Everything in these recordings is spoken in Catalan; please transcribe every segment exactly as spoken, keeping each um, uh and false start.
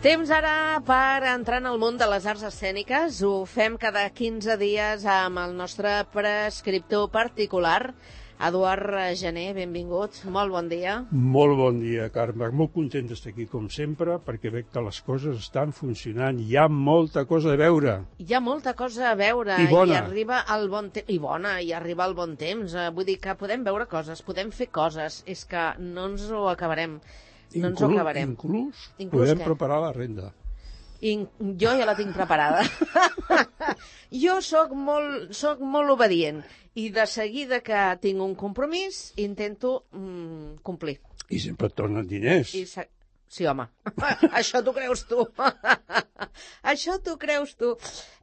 Temps ara per entrar en el món de les arts escèniques. Ho fem cada quinze dies amb el nostre prescriptor particular, Eduard Gené. Benvingut, molt bon dia. Molt bon dia, Carme. Molt content d'estar aquí, com sempre, perquè veig que les coses estan funcionant. Hi ha molta cosa a veure. Hi ha molta cosa a veure. I bona. I arriba el bon temps. I bona, i arriba el bon temps. Vull dir que podem veure coses, podem fer coses. És que no ens ho acabarem. No ens ho acabarem. Inclús, Inclús podem què? preparar la renda. In... Jo ja la tinc preparada. Jo sóc molt, sóc molt obedient i de seguida que tinc un compromís intento mm, complir. I sempre et tornen diners. I se... Sí, home, això t'ho creus tu. Això t'ho creus tu.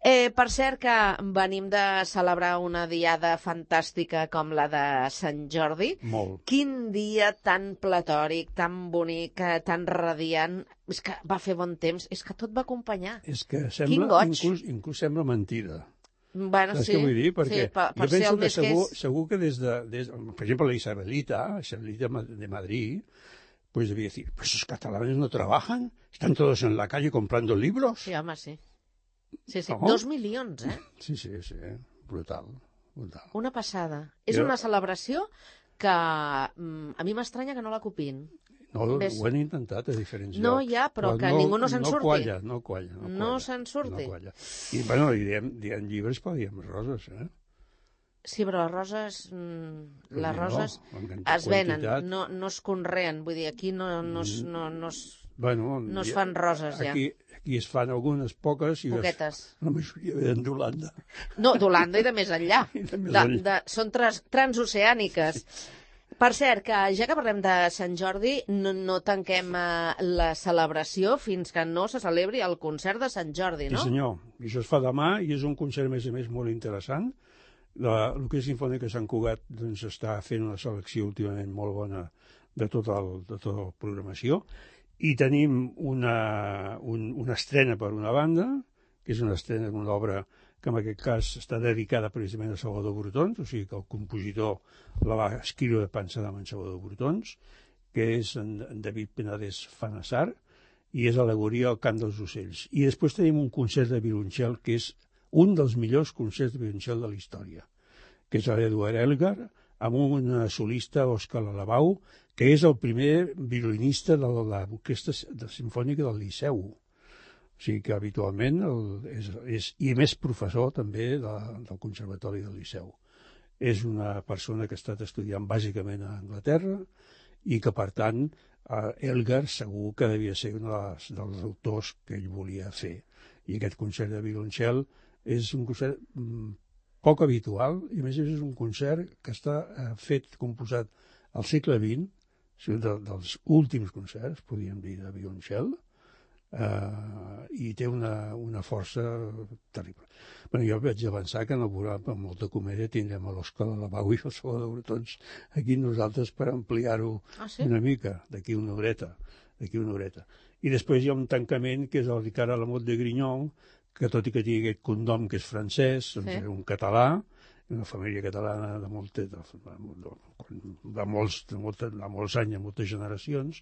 Eh, per cert que venim de celebrar una diada fantàstica com la de Sant Jordi. Molt. Quin dia tan platòric, tan bonic, tan radiant. És que va fer bon temps, és que tot va acompanyar. És que Quin sembla, goig. inclús, inclús sembla mentida. Bueno, Saps sí, què vull dir? Perquè sí, per, per jo ser penso el que més segur, que és... segur que des de, des, per exemple, la Isabelita, Isabelita de Madrid, pues debía decir, pues esos catalanes no trabajan, están todos en la calle comprando libros. Sí, home, sí. Sí, sí. No? Dos milions, eh? Sí, sí, sí, brutal, brutal. Una passada. És Jo- una celebració que mm, a mi m'estranya que no la copin. No, Ves- ho han intentat a diferents No, llocs. ja, però que ningú no se'n no surti. Qualla, no qualla, no No qualla. se'n surti. No qualla. I, bueno, i diem, diem llibres, però diem roses, eh? Sí, però les roses, mm, Però les no, roses en quanti- es venen, quantitat. no, no es conreen. Vull dir, aquí no, no, es, no, no, es, Bueno, no es ja- fan roses, ja. Aquí, aquí es fan algunes poques i Poquetes. Es, la majoria venen d'Holanda. No, d'Holanda i de més enllà. I de més De, enllà. de, són trans, transoceàniques. Per cert, que ja que parlem de Sant Jordi, no, no tanquem eh, la celebració fins que no se celebri el concert de Sant Jordi, no? Sí, senyor. I això es fa demà i és un concert, a més a més, molt interessant. La, el que és Sinfònica Sant Cugat doncs, està fent una selecció últimament molt bona de tota el, de tota la programació. I tenim una, un, una estrena per una banda, que és una estrena d'una obra que en aquest cas està dedicada precisament a Salvador Brotons, o sigui que el compositor la va escriure pensant en Salvador Brotons, que és en, en David Penedès Fanassar, i és al·legoria al cant dels ocells. I després tenim un concert de violoncel que és un dels millors concerts de violoncel de la història, que és l'Eduard Elgar, amb un solista, Òscar Alabau, que és el primer violinista de l'orquestra simfònica del Liceu. O sigui que habitualment el, és, és, i a més professor també de, del Conservatori del Liceu. És una persona que ha estat estudiant bàsicament a Anglaterra i que, per tant, eh, Elgar segur que devia ser un dels, dels autors que ell volia fer. I aquest concert de violoncel és un concert mm, poc habitual i a més és un concert que està eh, fet, composat al segle vint, o sigui, de, dels últims concerts, podríem dir, de violoncel, Uh, i té una, una força terrible. Bueno, jo vaig avançar que en el programa, amb molta comèdia, tindrem a l'Òscar Alabau i el Salvador Brotons aquí nosaltres per ampliar-ho Ah, sí? una mica, d'aquí una horeta, d'aquí una horeta. I després hi ha un tancament que és el Ricard Alamot de Grignon, que tot i que tingui aquest cognom que és francès, doncs Sí. és un català, una família catalana de, molt, de, de, de, molts, de, molta, de molts anys, de moltes generacions,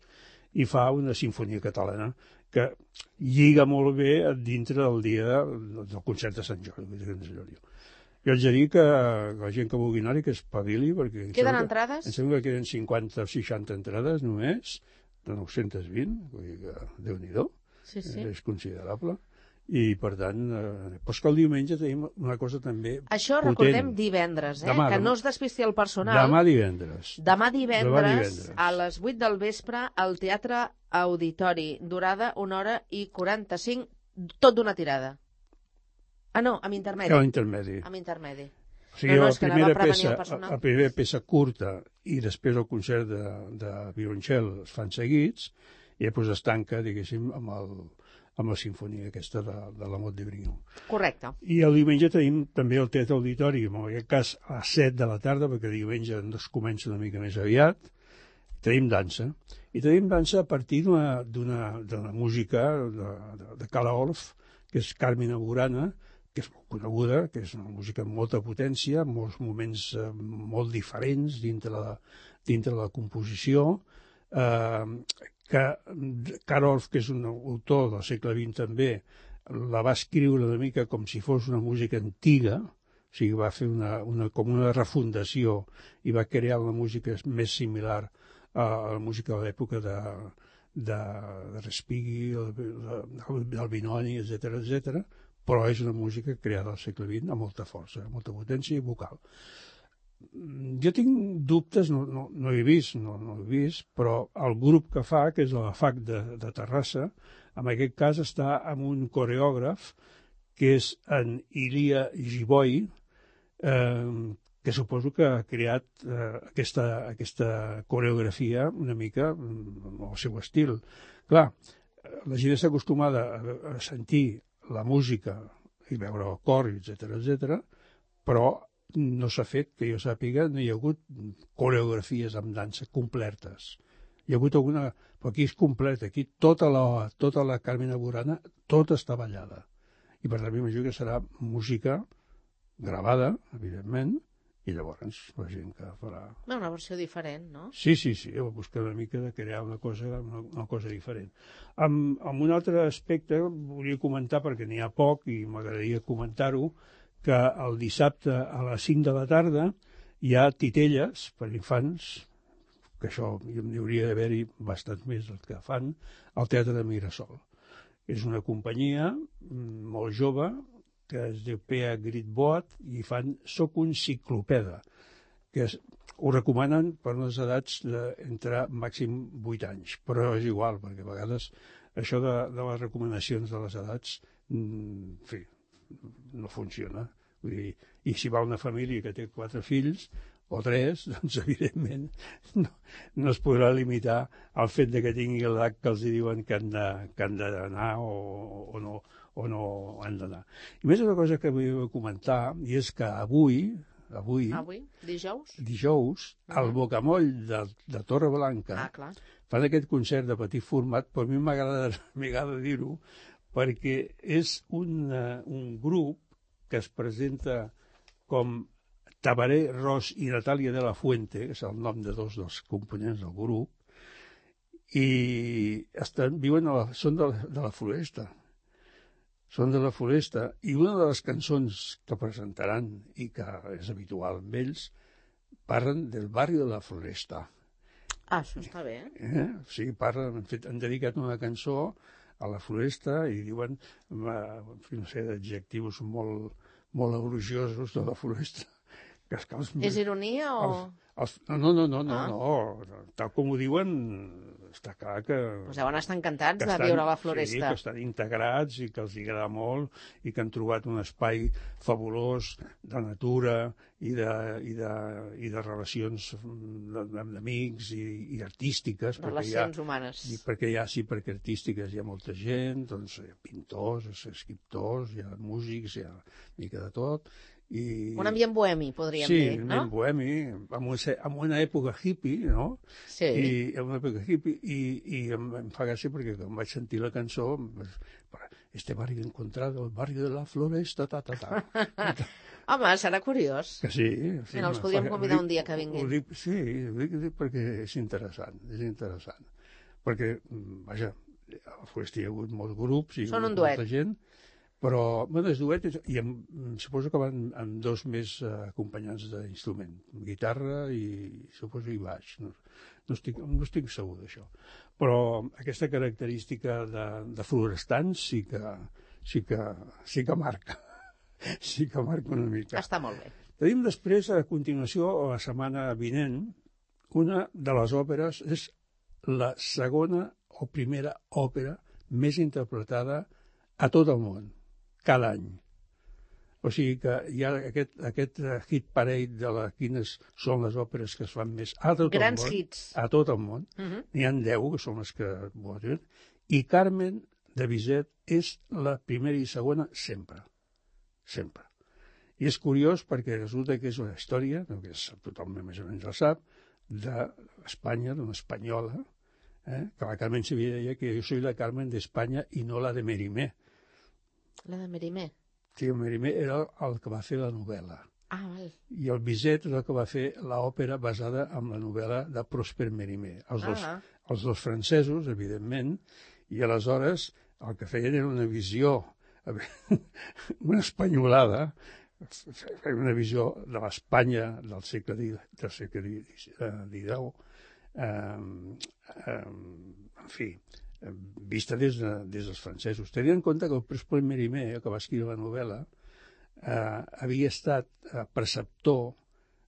i fa una sinfonia catalana que lliga molt bé dintre del dia del concert de Sant Jordi. Jo haig de dir que la gent que vulgui anar-hi que espavili, perquè... em Queden sembla que- entrades? Em sembla que queden cinquanta o seixanta entrades només, de nou-cents vint, vull dir que Déu-n'hi-do, Sí, sí. és considerable. I, per tant, eh, però és que el diumenge tenim una cosa també Això potent. recordem divendres, eh? Demà, que demà. no es despisti el personal. Demà divendres. Demà divendres, Demà divendres. a les vuit del vespre, al Teatre Auditori. Durada una hora i quaranta-cinc, tot d'una tirada. Ah, no, amb intermedi. Que l'intermedi. Amb intermedi. O sigui, No, no, la, és que anava primera a prevenir peça, el personal. la primera peça curta i després el concert de, de violoncel es fan seguits i després es tanca, diguéssim, amb, el, amb la sinfonia aquesta de, de l'Amot de Brignon. Correcte. I el diumenge tenim també el Teatre Auditori, en aquest cas a les set de la tarda, perquè diumenge es comença una mica més aviat. Tenim dansa. I tenim dansa a partir d'una d'una música de, de, de Cala Orff, que és Carmina Burana, que és molt coneguda, que és una música amb molta potència, molts moments eh, molt diferents dintre la, dintre la composició, eh, que Karolf, que és un autor del segle vint també, la va escriure una mica com si fos una música antiga, o sigui, va fer una, una, com una refundació i va crear una música més similar a la música de l'època de, de, de Respighi, del Binoni, etcètera, etcètera, però és una música creada al segle vint amb molta força, amb molta potència vocal. Jo tinc dubtes, no, no, no he vist, no, no he vist, però el grup que fa, que és la F A C de, de Terrassa, en aquest cas està amb un coreògraf que és en Ilia Giboi, eh, que suposo que ha creat eh, aquesta, aquesta coreografia una mica al seu estil. Clar, la gent està acostumada a, a sentir la música i veure el cor, etcètera, etcètera, però no s'ha fet, que jo sàpiga, no hi ha hagut coreografies amb dansa completes. Hi ha hagut alguna... Però aquí és completa, aquí tota la, tota la Carmina Burana, tota està ballada. I per tant, m'imagino que serà música gravada, evidentment, i llavors la gent que farà... Una versió diferent, no? Sí, sí, sí, va buscar una mica de crear una cosa, una, una cosa diferent. Amb, amb un altre aspecte, volia comentar, perquè n'hi ha poc i m'agradaria comentar-ho, que el dissabte a les cinc de la tarda hi ha titelles per infants, que això n'hi hauria d'haver-hi bastant més del que fan, al Teatre de Mirasol. És una companyia molt jove, que es diu P A Gritboat, i fan Soc un ciclopeda, que es, ho recomanen per unes edats d'entre màxim vuit anys, però és igual, perquè a vegades això de, de les recomanacions de les edats, en fi, no funciona. Vull dir, i si va una família que té quatre fills o tres, doncs evidentment no, no es podrà limitar al fet de que tingui l'edat que els diuen que han de, que han d'anar o, o, no, o no han d'anar. I més una cosa que vull comentar, i és que avui, avui, avui dijous, dijous uh-huh. al Bocamoll de, de Torreblanca ah, clar. fan aquest concert de petit format, però a mi m'agrada dir-ho, perquè és un, un grup que es presenta com Tabaré Ros i Natàlia de la Fuente, que és el nom de dos dels components del grup, i estan, viuen a la, són de la, de la Floresta. Són de la Floresta. I una de les cançons que presentaran, i que és habitual amb ells, parlen del barri de la Floresta. Ah, això està bé. Eh? Sí, parlen, han, fet, han dedicat una cançó a la Floresta i diuen, no sé, adjectius molt, molt elogiosos de la Floresta. Que és, que els, és ironia o...? Els, els, no, no, no, no, ah. no, tal com ho diuen, està clar que... Pues deuen estar encantats de estan, viure a la Floresta. Sí, que estan integrats i que els agrada molt i que han trobat un espai fabulós de natura i de, i de, i de relacions d'amics i, i artístiques. Relacions ha, humanes. I perquè hi ha, sí, perquè artístiques hi ha molta gent, doncs hi ha pintors, escriptors, hi ha músics, hi ha mica de tot. I... un ambient bohemi, podríem sí, dir, no? Sí, un ambient bohemi, en una, en una època hippie, no? Sí. I, en una època hippie, i, i em, em fa gràcia perquè quan vaig sentir la cançó, este barri encontrado, el barri de la Floresta, ta, ta, ta. Home, serà curiós. Que sí. sí Mira, els podríem convidar dic, un dia que vinguin. Dic, sí, ho dic, dic perquè és interessant, és interessant. Perquè, vaja, a la Floresta hi ha hagut molts grups i són un molta duet. gent, però, bueno, és duet, i em, suposo que van amb dos més uh, acompanyants d'instrument, guitarra i, suposo, i baix. No, no, estic, no estic segur d'això. Però aquesta característica de, de florestans sí que, sí que, sí que marca. Sí que marca una mica. Està molt bé. Tenim després, a continuació, a la setmana vinent, una de les òperes, és la segona o primera òpera més interpretada a tot el món, cada any. O sigui que hi ha aquest, aquest hit parade de la, quines són les òperes que es fan més a tot Grans el món. hits. A tot el món. Uh-huh. N'hi ha deu, que són les que voten. I Carmen de Bizet és la primera i segona sempre. Sempre. I és curiós perquè resulta que és una història, que és, tothom més o menys la sap, d'Espanya, d'una espanyola, eh? que la Carmen Sevilla deia que jo soy la Carmen d'Espanya i no la de Mérimée. La de Mérimée? Sí, el Mérimée era el que va fer la novel·la. Ah, val. I el Bizet és el que va fer l'òpera basada en la novel·la de Prosper Mérimée. Els dos, Ah. els dos francesos, evidentment, i aleshores el que feien era una visió, una espanyolada, una visió de l'Espanya del segle del segle dinou, eh, eh, en fi, vista des, de, des dels francesos. Tenint en compte que el Prosper Mérimée, que va escriure la novel·la, Eh, havia estat eh, preceptor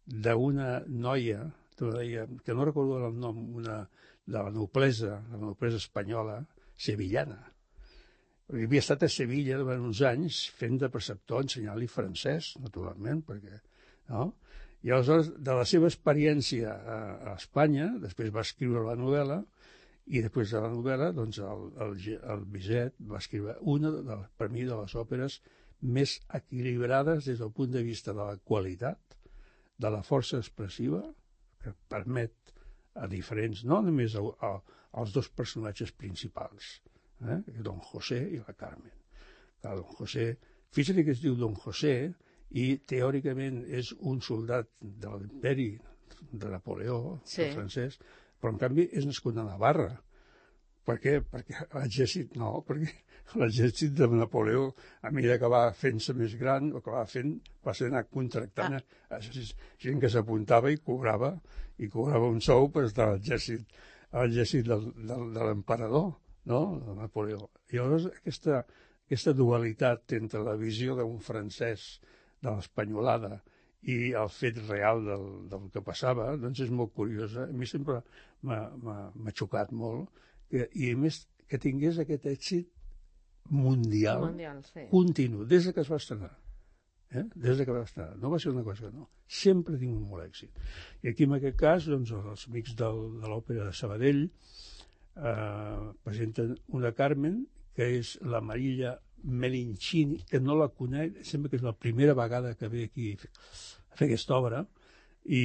d'una noia, noia que no recordo el nom, una, de la noblesa, la noblesa espanyola, sevillana. Havia estat a Sevilla durant uns anys fent de preceptor, ensenyant-li francès, naturalment, perquè, no? I aleshores, de la seva experiència a, a Espanya, després va escriure la novel·la, i després de la novel·la, doncs, el, el, el Bizet va escriure una, de, per mi, de les òperes més equilibrades des del punt de vista de la qualitat, de la força expressiva, que permet a diferents, no només a, a, als dos personatges principals, eh? Don José i la Carmen. Clar, Don José, fixa't que es diu Don José i teòricament és un soldat de l'imperi de Napoleó, sí, francès, però en canvi és nascut a Navarra. Per què? Perquè l'exèrcit no, perquè l'exèrcit de Napoleó, a mesura que va fent-se més gran, el que va fent va ser anar contractant ah. gent que s'apuntava i cobrava, i cobrava un sou per estar a l'exèrcit, a l'exèrcit del, del, de l'emperador, no?, de Napoleó. I llavors aquesta, aquesta dualitat entre la visió d'un francès de l'espanyolada i el fet real del, del que passava, doncs és molt curiosa. A mi sempre m'ha xocat molt, que, i a més que tingués aquest èxit mundial, mundial sí. continu, des que es va estrenar. Eh? Des que va estrenar. No va ser una cosa que no. Sempre ha tingut molt èxit. I aquí, en aquest cas, doncs, els amics del, de l'òpera de Sabadell eh, presenten una Carmen, que és la Marilla Melincini, que no la conec, sembla que és la primera vegada que ve aquí a fer aquesta obra, i,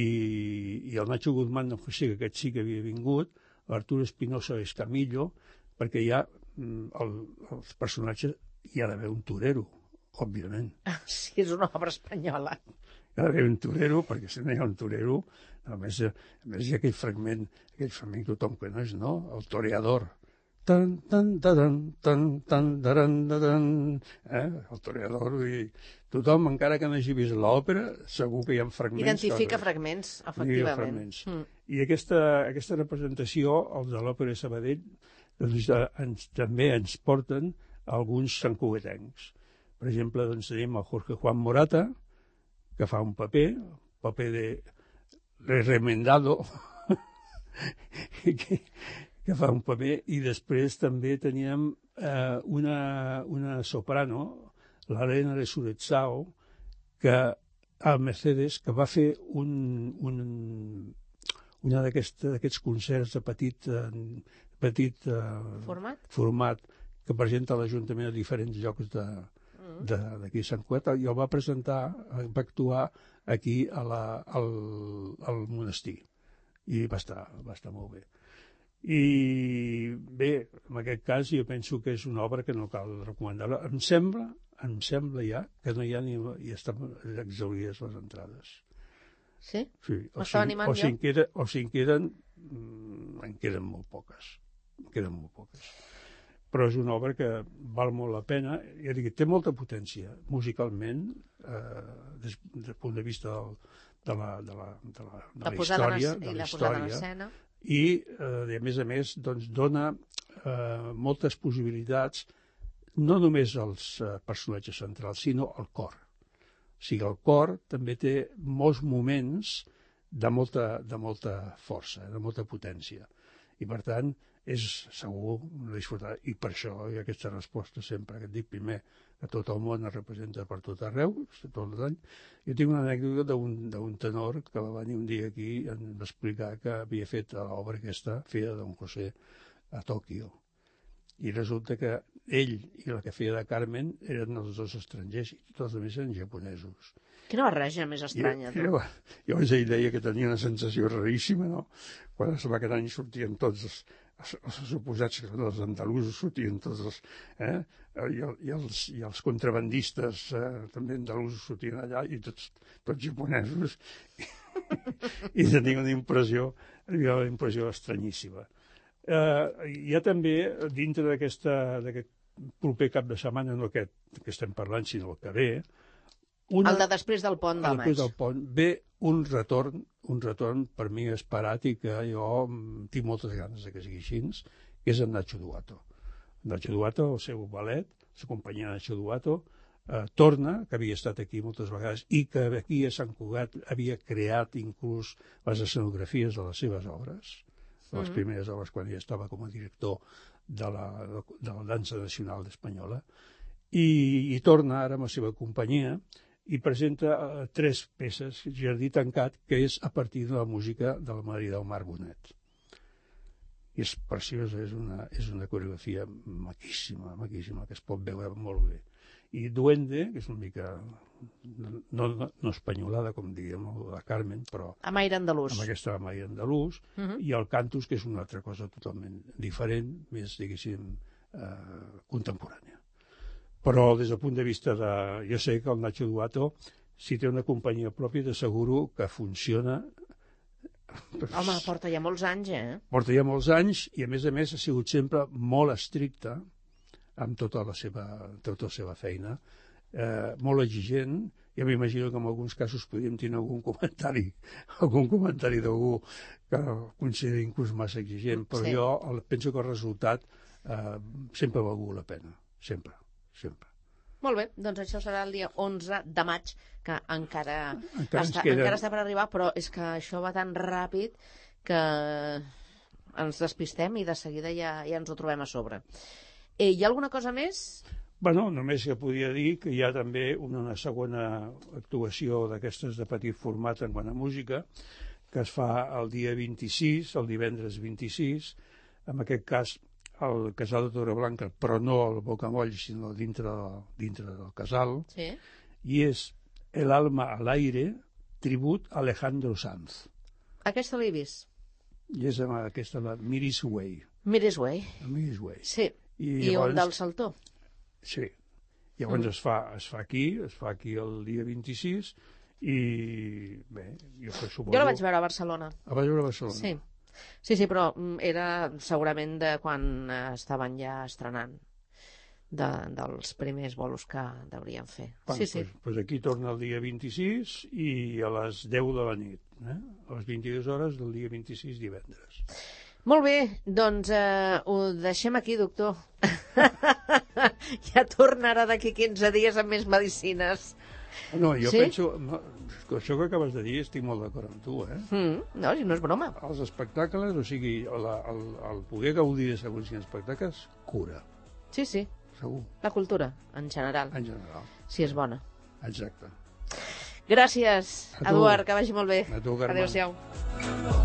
i el Nacho Guzmán, no sé, que aquest sí que havia vingut, l'Arturo Espinosa Escamillo, perquè hi ha el, els personatges, hi ha d'haver un torero, òbviament. Sí, és una obra espanyola. Hi ha d'haver un torero, perquè si no hi ha un torero, a més, a més hi ha aquell fragment, aquell fragment que tothom coneix, no? El toreador. Tan, tan, tan, tan, tan, tan, tan, eh? El toreador, i tothom, encara que no hagi vist l'òpera, segur que hi ha fragments. Identifica que... fragments, efectivament. Fragments. Mm. I aquesta, aquesta representació, els de l'òpera de Sabadell, doncs, ens, també ens porten alguns santcugatencs. Per exemple, doncs, tenim el Jorge Juan Morata, que fa un paper, el paper de, de remendado, que, que fa un paper, i després també teníem eh, una, una soprano, l'Helena de Surezao, que al Mercedes, que va fer un, un, una d'aquests concerts de petit, eh, petit eh, format? format que presenta l'Ajuntament a diferents llocs de, d'aquí a Sant Cugat, i el va presentar, va actuar aquí a la, al, al monestir, i va estar, va estar molt bé. I bé, en aquest cas jo penso que és una obra que no cal recomanar. Em sembla, em sembla ja que no hi ha ni, i estan exaurides les entrades. Sí? Sí. O M'estava si, animant o si jo. En queda, o si en queden, en queden molt poques. En queden molt poques. Però és una obra que val molt la pena. Ja dic, té molta potència musicalment, eh, des, des del punt de vista del, de la, de la, de la, de la, la història, de la història, i eh, a més a més doncs, dona eh, moltes possibilitats, no només als eh, personatges centrals, sinó al cor. O sigui, el cor també té molts moments de molta, de molta força, de molta potència. I, per tant, és segur disfrutar. I per això hi ha aquesta resposta sempre, que et dic primer, que tot el món es representa per tot arreu, tot l'any. Jo tinc una anècdota d'un tenor que va venir un dia aquí i em va explicar que havia fet l'obra aquesta, feia de Don José, a Tòquio. I resulta que ell i la que feia de Carmen eren els dos estrangers, i tots els altres eren japonesos. Quina barreja més estranya, tu. Llavors ell deia que tenia una sensació raríssima, no? Quan es va quedant i sortien tots els, els suposats que els andalusos sortien tots els... Eh? I, el, i, els, i els contrabandistes eh, també andalusos sortien allà i tots, tots japonesos i, i tenia una impressió, una impressió estranyíssima. Eh, hi ha també, dintre d'aquest proper cap de setmana, no aquest que estem parlant, sinó el que ve, una, el de després del pont de maig. Després del pont ve un retorn, un retorn per mi esperat i que jo tinc moltes ganes que sigui així, que és en Nacho Duato. Nacho Duato, el seu ballet, la companyia Nacho Duato, eh, torna, que havia estat aquí moltes vegades i que aquí a Sant Cugat havia creat inclús les escenografies de les seves obres, de les primeres obres quan ell estava com a director de la, de la dansa nacional espanyola, i, i torna ara amb la seva companyia i presenta uh, tres peces, Jardí tancat, que és a partir de la música de la Maria del Mar Bonet. I és preciosa, és una, és una coreografia maquíssima, maquíssima, que es pot veure molt bé. I Duende, que és una mica no, no, no espanyolada, com diguem, la Carmen, però... Amb aire andalús. Amb aquesta amb aire andalús, uh -huh. I el Cantus, que és una altra cosa totalment diferent, més, diguéssim, eh, contemporània. Però des del punt de vista de... Jo sé que el Nacho Duato, si té una companyia pròpia, t'asseguro que funciona... Home, porta ja molts anys, eh? Porta ja molts anys i, a més a més, ha sigut sempre molt estricte amb tota la seva, tota la seva feina, eh, molt exigent. Ja m'imagino que en alguns casos podríem tenir algun comentari, algun comentari d'algú que consideri inclús massa exigent, però sí. Jo penso que el resultat eh, sempre ha valgut la pena, sempre, sempre. Molt bé, doncs això serà el dia onze de maig, que encara, encara, està, queda... encara està per arribar, però és que això va tan ràpid que ens despistem i de seguida ja, ja ens ho trobem a sobre. Eh, hi ha alguna cosa més? Bueno, només que podia dir que hi ha també una segona actuació d'aquestes de petit format en quant a música, que es fa el dia vint-i-sis, el divendres vint-i-sis, en aquest cas al Casal de Torreblanca, però no al Bocamoll, sinó dintre, dintre del casal, sí. I és El alma al aire, tribut a Alejandro Sanz. Aquesta l'he vist. I és amb aquesta, la Miris Way. Miris Way. Miris Way. Sí, i, I llavors, un del Saltó. Sí. Llavors mm. es, fa, es fa aquí, es fa aquí el dia vint-i-sis, i bé, jo suposo... Jo la vaig veure a Barcelona. La vaig veure a Barcelona? Sí. Sí, sí, però era segurament de quan estaven ja estrenant, de, dels primers bolos que deurien fer. Bueno, sí, sí. Pues, pues aquí torna el dia vint-i-sis i a les deu de la nit, eh? A les vint-i-dues hores del dia vint-i-sis, divendres. Molt bé, doncs eh, ho deixem aquí, doctor. Ja tornarà d'aquí quinze dies amb més medicines. No, jo sí? penso... Això que acabes de dir estic molt d'acord amb tu, eh? Mm, no, no és broma. Els espectacles, o sigui, la, el, el poder gaudir de segons quins espectacles, cura. Sí, sí. Segur. La cultura, en general. En general. Si és bona. Exacte. Gràcies, Eduard, que vagi molt bé. A tu, Carme. Adéu-siau.